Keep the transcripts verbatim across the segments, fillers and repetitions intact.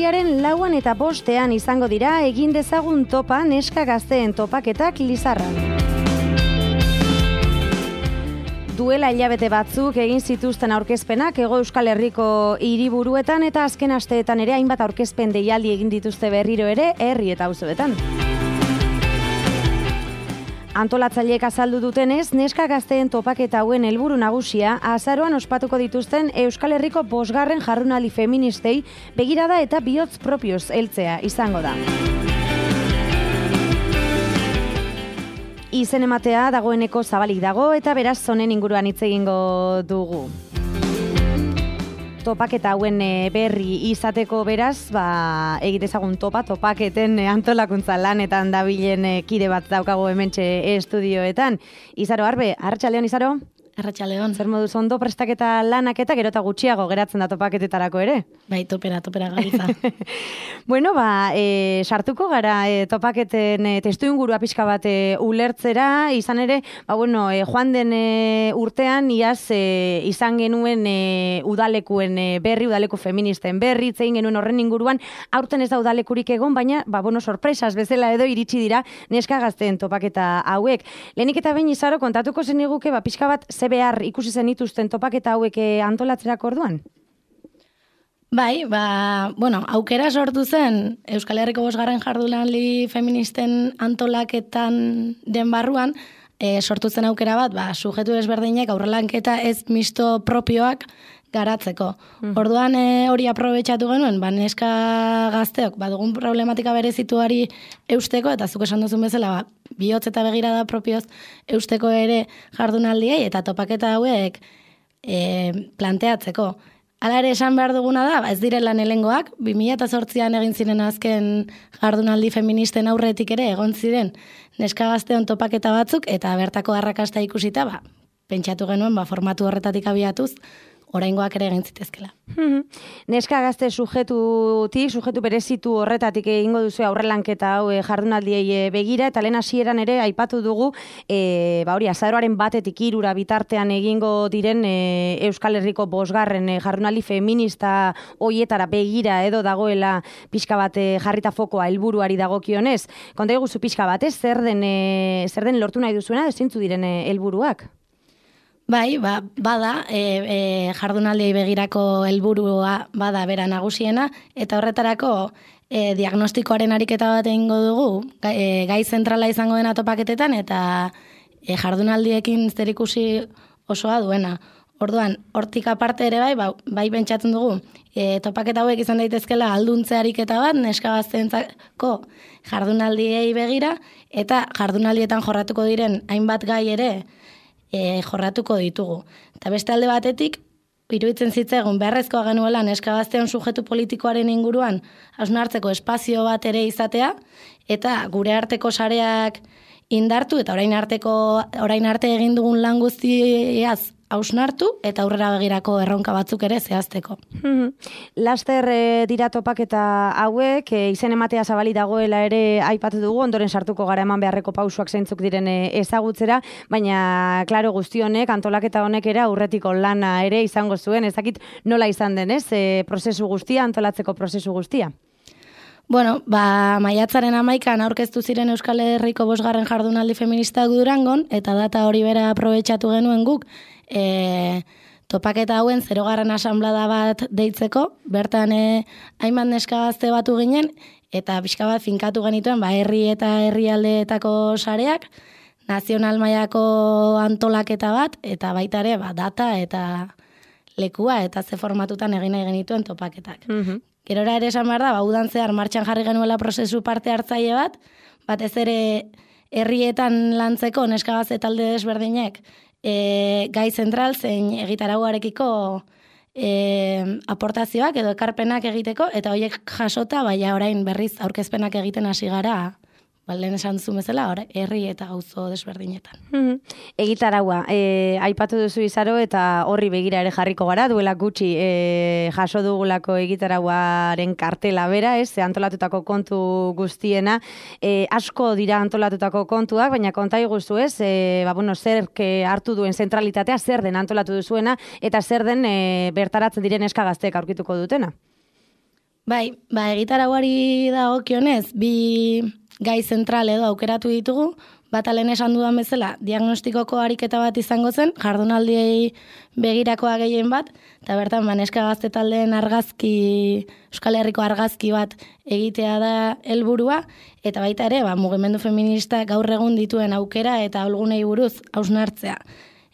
urriaren lauan eta bostean izango dira egin dezagun topa neska gazteen topaketak Lizarran. Duela hilabete batzuk egin zituzten aurkezpenak Hego Euskal Herriko hiriburuetan eta azken asteetan ere hainbat aurkezpen deialdi egin dituzte berriro ere herri eta auzoetan. Antolatzaileek azaldu dutenez, neska gazteen topaketa hauen helburu nagusia azaroan ospatuko dituzten Euskal Herriko bosgarren jardunaldi feministei begirada eta bihotz propioz heltzea izango da. Izen ematea dagoeneko zabalik dago eta beraz honen inguruan hitz egingo dugu. Topaketa hauen berri izateko beraz, ba, egitezagun topa, topaketen antolakuntza lanetan dabilen kide bat daukago hementxe estudioetan. Izaro Arbe, arratsaldeon Izaro? Arratsaldeon. Zer moduz ondo prestaketa lanak eta gero eta gutxiago geratzen da topaketetarako ere? Bai, topera, topera gabiltza. Bueno, ba, e, sartuko gara e, topaketen e, testu ingurua pixka bat e, ulertzera, izan ere, ba, bueno, e, joan den e, urtean, iaz e, izan genuen e, udalekuen e, berri, udaleku feministen berri, zein genuen horren inguruan, aurten ez da udalekurik egon, baina, ba, bueno, sorpresas bezala edo iritsi dira neska gazteen topaketa hauek. Lehenik eta behin Izaro, kontatuko zen iguke, ba, pixka bat, ze behar ikusi zen dituzten topaketa hauek antolatzerako orduan? Bai, ba, bueno, aukera sortu zen Euskal Herriko bosgarren jardunaldi feministen antolaketan den barruan, e, sortu zen aukera bat, ba, sujetu desberdinek aurrelanketa ez misto propioak garatzeko. Mm. Orduan e, hori aprobetxatu genuen, ba, neska gazteok, ba, dugun problematika berezituari eusteko, eta zuk esan duzun bezala, ba, bihotz eta begirada propioz eusteko ere jardunaldiei, eta topaketa hauek e, planteatzeko. Hala ere esan behar duguna da, ba, ez direla lehengoak, bi mila zortzian egin ziren azken jardunaldi feministen aurretik ere egon ziren neska gazteon topaketa batzuk, eta bertako arrakasta ikusita, ba, pentsatu genuen, ba, formatu horretatik abiatuz, oraingoak ere egin zitezkela. Neska gazte sujetutik, sujetu berezitu horretatik egingo duzu aurrelanketa hau jardunaldiei begira, eta lehen hasieran ere aipatu dugu, e, ba hori, azaroaren batetik hirura bitartean egingo diren e, Euskal Herriko bosgarren e, jardunaldi feminista hoietara begira edo dagoela pixka bat e, jarrita fokoa helburuari dagokionez. Konta iguzu pixka bat, ez? Zer den, e, zer den lortu nahi duzuena, zintzu diren e, helburuak? Bai, ba, bada, e, e, jardunaldiei begirako helburua bada bera nagusiena, eta horretarako e, diagnostikoaren ariketa bat egingo dugu, gai, e, gai zentrala izango dena topaketetan, eta e, jardunaldiekin zerikusi osoa duena. Orduan, hortik aparte ere bai, ba, bai pentsatzen dugu, e, topaketa hauek izan daitezkela alduntze ariketa bat, neska gazteentzako jardunaldiei begira, eta jardunaldietan jorratuko diren hainbat gai ere, E, jorratuko ditugu. Eta beste alde batetik, iruditzen zitzaigun beharrezkoa genuela neska gazteon sujetu politikoaren inguruan hausnartzeko espazio bat ere izatea, eta gure arteko sareak indartu, eta orain arteko orain arte egin dugun lan guztiaz hausnartu, eta aurrera begirako erronka batzuk ere zehazteko. Laster e, dira topaketa hauek, e, izen ematea zabali dagoela ere aipatu dugu, ondoren sartuko gara eman beharreko pausuak zeintzuk diren e, ezagutzera, baina, klaro, guzti honek, antolaketa honek ere aurretiko lana ere izango zuen, ezakit nola izan denez, e, prozesu guztia, antolatzeko prozesu guztia? Bueno, ba, maiatzaren amaikan aurkeztu ziren Euskal Herriko bosgarren jardunaldi feminista Durangon, eta data hori bera aprobetxatu genuen guk, e, topaketa hauen zerogarren asanblada bat deitzeko, bertan e, hainbat neska gazte batu ginen, eta pixka bat finkatu genituen, ba, herri eta herrialdeetako sareak, nazional mailako antolaketa bat, eta baita ere, ba, data eta lekua, eta ze formatutan egin nahi genituen topaketak. Mm-hmm. Gerora ere esan behar da, ba, udan zehar martxan jarri genuela prozesu parte hartzaile bat, batez ere herrietan lantzeko neska gazte talde desberdinek e, gai zentral zein egitarauarekiko e, aportazioak edo ekarpenak egiteko, eta horiek jasota, baina orain berriz aurkezpenak egiten hasi gara, ba, lehen esan duzu bezala, herri eta auzo desberdinetan. Mm-hmm. Egitaraua, e, aipatu duzu Izaro, eta horri begira ere jarriko gara, duela gutxi e, jaso dugulako egitarauaren kartela bera, ez, antolatutako kontu guztiena, e, asko dira antolatutako kontuak, baina konta iguzu ez, e, ba, bueno, zer hartu duen zentralitatea, zer den antolatu duzuena, eta zer den e, bertaratzen diren neska gazteek aurkituko dutena. Bai, ba, egitarauari dagokionez, bi gai zentral edo aukeratu ditugu, bata lehen esan dudan bezala, diagnostikoko ariketa bat izango zen, jardunaldiei begirakoa gehien bat, eta bertan, ba, neska gazte taldeen argazki, Euskal Herriko argazki bat egitea da helburua, eta baita ere, ba, mugimendu feminista gaur egun dituen aukera eta olgunei buruz hausnartzea.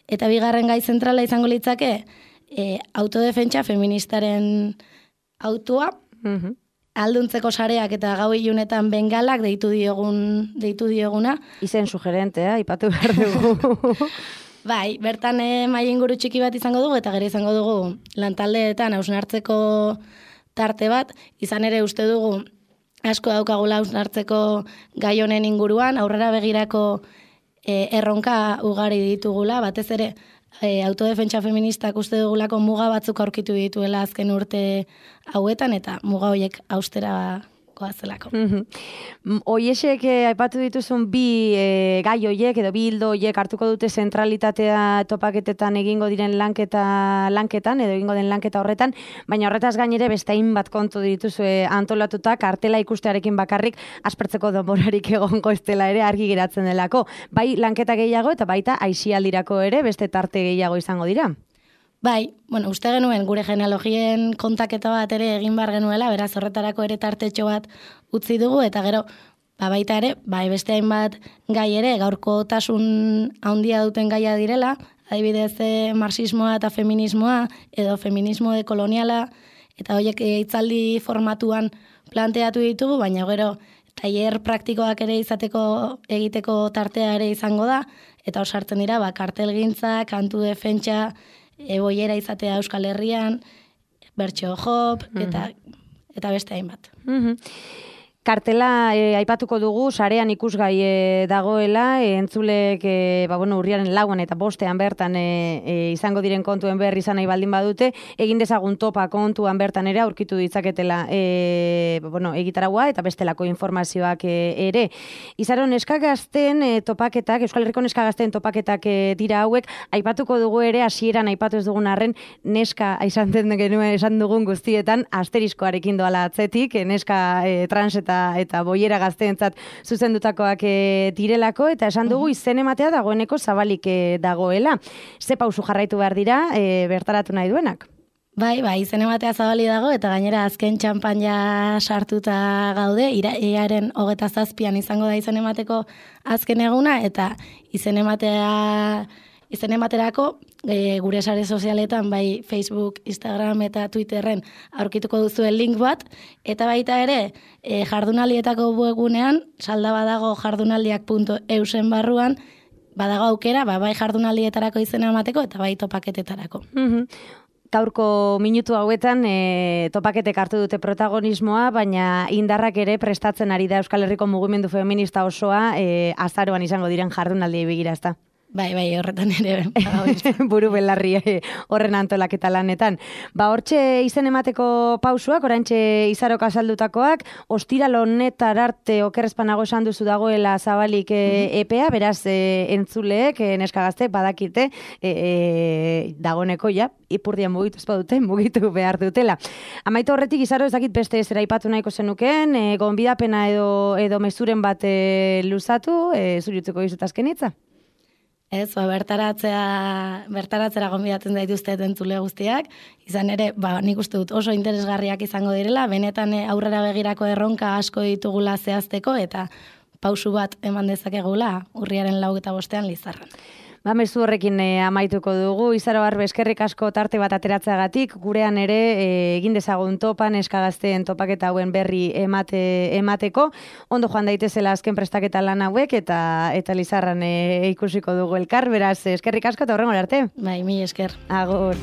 Eta bigarren gai zentrala izango litzake, e, autodefentsa feministaren autua, mm-hmm. Alduntzeko sareak eta gau ilunetan bengalak deitu diogun deitu dioguna. Izen sugerentea, ipatu behar dugu. Bai, bertan eh, mai inguru txiki bat izango dugu, eta gero izango dugu lantaldeetan hausnartzeko tarte bat, izan ere uste dugu asko daukagula hausnartzeko gai honen inguruan, aurrera begirako eh, erronka ugari ditugula, batez ere E, autodefentsa feministak uste dugulako muga batzuk aurkitu dituela azken urte hauetan, eta muga horiek austera goazelako. Mm-hmm. Oiesek eh, aipatu dituzun bi eh, gai hoiek edo bi hildo hoiek hartuko dute zentralitatea topaketetan egingo diren lanketa lanketan edo egingo den lanketa horretan, baina horretaz gainere beste hainbat kontu dituzue antolatuta, kartela ikustearekin bakarrik aspertzeko denborarik egongo ez dela ere argi geratzen delako. Bai lanketa gehiago eta baita aisialdirako ere beste tarte gehiago izango dira. Bai, bueno, uste genuen gure genealogien kontaketa bat ere egin bar genuela, beraz horretarako ere tartetxo bat utzi dugu, eta gero, ba baita ere, bai beste hainbat gai ere, gaurkotasun handia duten gaia direla, adibidez marxismoa eta feminismoa, edo feminismo dekoloniala, eta horiek hitzaldi formatuan planteatu ditugu, baina gero, tailer praktikoak ere izateko egiteko tartea ere izango da, eta hor sartzen dira, ba, kartelgintza, kantu defentsa, eboiera izatea Euskal Herrian, bertso hop, eta, eta beste hainbat. Mm-hmm. Kartela e, aipatuko dugu, sarean ikusgai e, dagoela, e, entzulek e, ba, bueno, urriaren lauan eta bostean bertan e, e, izango diren kontuen berri izan nahi baldin badute, egin dezagun topa kontuan bertan ere aurkitu ditzaketela e, bueno, egitaragua eta bestelako informazioak e, ere. Izaro, neska gazten e, topaketak, Euskal Herriko neska gazten topaketak e, dira hauek, aipatuko dugu ere, hasieran aipatu ez dugun arren, neska izan genuen esan dugun guztietan, asteriskoarekin doala atzetik, e, neska e, trans eta eta boiera gazteentzat zuzendutakoak e, direlako, eta esan dugu izen ematea dagoeneko zabalik e, dagoela. Ze pausu jarraitu behar dira e, bertaratu nahi duenak? Bai, bai, izen ematea zabali dago, eta gainera azken txampan ja sartuta gaude, iraaren hogeta zazpian izango da izen emateko azken eguna, eta izen ematea izen ematerako e, gure sare sozialetan, bai Facebook, Instagram eta Twitterren aurkituko duzuen link bat, eta baita ere e, jardunaldietako webgunean, salda badago jardunaldiak puntu eusen barruan, badago aukera, ba, bai jardunaldietarako izena emateko eta bai topaketetarako. Mm-hmm. Gaurko minutu hauetan e, topaketek hartu dute protagonismoa, baina indarrak ere prestatzen ari da Euskal Herriko mugimendu feminista osoa e, azaroan izango diren jardunaldiei begira, ezta? Bai, bai, horretan ere. Buru belarri horren antolaketa lanetan. Ba, hortxe izen emateko pausuak, oraintxe Izarok azaldutakoak, ostiral honetar arte okerrezpanago esan duzu dagoela zabalik e, epea, beraz e, entzuleek, e, neska gaztek, badakite, e, e, dagoneko ja, ipurdian mugitu ezpadute, mugitu behar dutela. Amaitu horretik, Izaro, ez dakit beste zera ipatu nahiko zenukeen, e, gonbidapena edo, edo mezuren bat e, luzatu, e, zuriutzeko dizut azkenitza? Ez, ba, bertaratzea, bertaratzera gonbidatzen daituzte entzule guztiak, izan ere, ba, nik uste dut oso interesgarriak izango direla, benetan aurrera begirako erronka asko ditugula zehazteko, eta pausu bat eman dezakegula urriaren lau eta bostean Lizarran. Ba, mezu horrekin e, amaituko dugu, Izaro Barbe, eskerrik asko tarte bat ateratzeagatik, gurean ere e, egin dezagun topan, eskagazteen topaketa hauen berri emate, emateko, ondo joan daitezela azken prestaketa lan hauek, eta eta Lizarran e, ikusiko dugu elkar, beraz, eskerrik asko eta horrengo arte. Bai, mi esker. Agur.